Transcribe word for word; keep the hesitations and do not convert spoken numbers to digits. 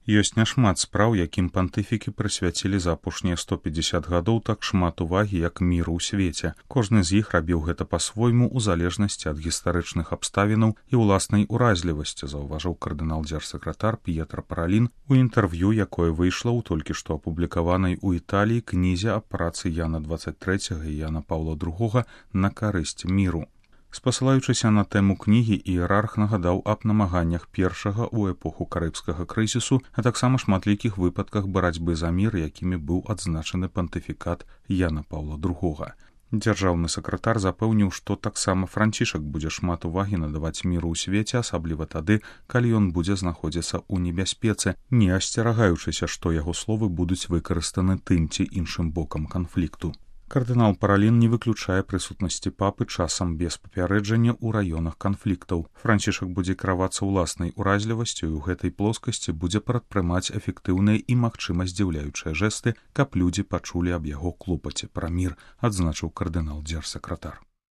Ёсць няшмат спраў, якім пантыфікі прысвяцілі за апошнія сто пятьдесят гадоў так шмат увагі, як міру ў свеце. Кожны з іх рабіў гэта па-свойму ў залежнасці ад гістарычных абставінаў і ўласнай уразлівасці, заўважыў кардынал-дзярсакратар П'етра Паралін у інтэрв'ю, якое выйшла ў толькі што апублікаванай у Італіі кнізе аб працы Яна дваццаць трэцяга і Яна Паўла другога на карысць міру. Спасылаючыся на тэму кнігі, іерарх нагадаў аб намаганнях першага ў эпоху карыбскага крызісу, а таксама шматлікіх выпадках барацьбы за мір, якімі быў адзначаны пантыфікат Яна Паўла другога. Дзяржаўны сакратар запэўніў, што таксама Францішак будзе шмат увагі надаваць міру ў свеце, асабліва тады, калі ён будзе знаходзіцца ў небяспецы, не асцерагаючыся, што яго словы будуць выкарыстаны тым ці іншым бокам канфлікту. Кардынал Паралін не выключае прысутнасці папы часам без папярэджання ў раёнах канфліктаў. Францішак будзе кіравацца ўласнай уразлівасцю і ў гэтай плоскасці будзе прадпрымаць эфектыўныя і магчыма здзіўляючыя жэсты, каб людзі пачулі аб яго клопаце пра мір, адзначыў кардынал-дзярсакратар.